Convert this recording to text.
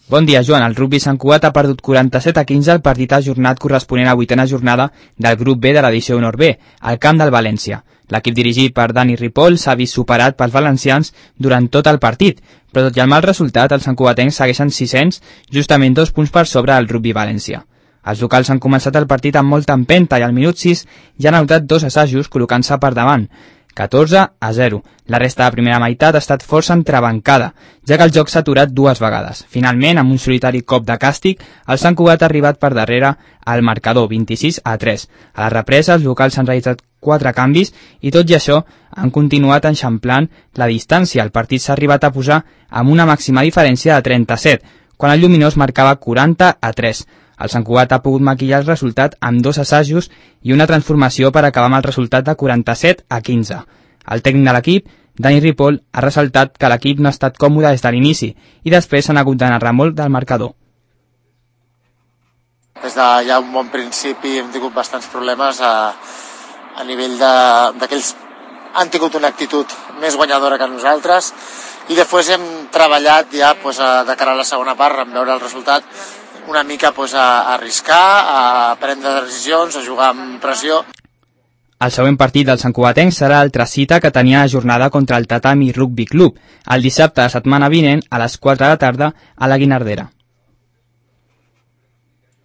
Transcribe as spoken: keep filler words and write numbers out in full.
Bon dia, Joan. El rugbi Sant Cugat ha perdut quaranta-set a quinze el partit ajornat corresponent a vuitena jornada del grup B de l'edició Honor B, al camp del València. L'equip dirigit per Dani Ripoll s'ha vist superat pels valencians durant tot el partit, però tot i el mal resultat, els santcugatencs segueixen sisens, justament dos punts per sobre del Rugbi València. Els locals han començat el partit amb molta empenta i al minut sis ja han anotat dos assajos col·locant-se per davant, catorze a zero. La resta de primera meitat ha estat força entrebancada, ja que el joc s'ha aturat dues vegades. Finalment, amb un solitari cop de càstig, el Sant Cugat ha arribat per darrere al marcador, vint-i-sis a tres. A la represa, els locals han realitzat quatre canvis i tot i això han continuat enxamplant la distància. El partit s'ha arribat a posar amb una màxima diferència de trenta-set, quan el Lluminós marcava quaranta a tres. El Sant Cugat ha pogut maquillar el resultat amb dos assajos i una transformació per acabar amb el resultat de quaranta-set a quinze. El tècnic de l'equip, Dani Ripoll, ha ressaltat que l'equip no ha estat còmode des de l'inici i després s'han hagut de narrar molt del marcador. Des de ja un bon principi hem tingut bastants problemes a, a nivell d'aquells han tingut una actitud més guanyadora que nosaltres i després hem treballat ja pues, a, de cara a la segona part, en veure el resultat, una mica pues, a, a arriscar, a prendre decisions, a jugar amb pressió. El següent partit del santcugatenc serà l'altra cita que tenia la jornada contra el Tatami Rugby Club, el dissabte de setmana vinent a les quatre de la tarda a la Guinardera.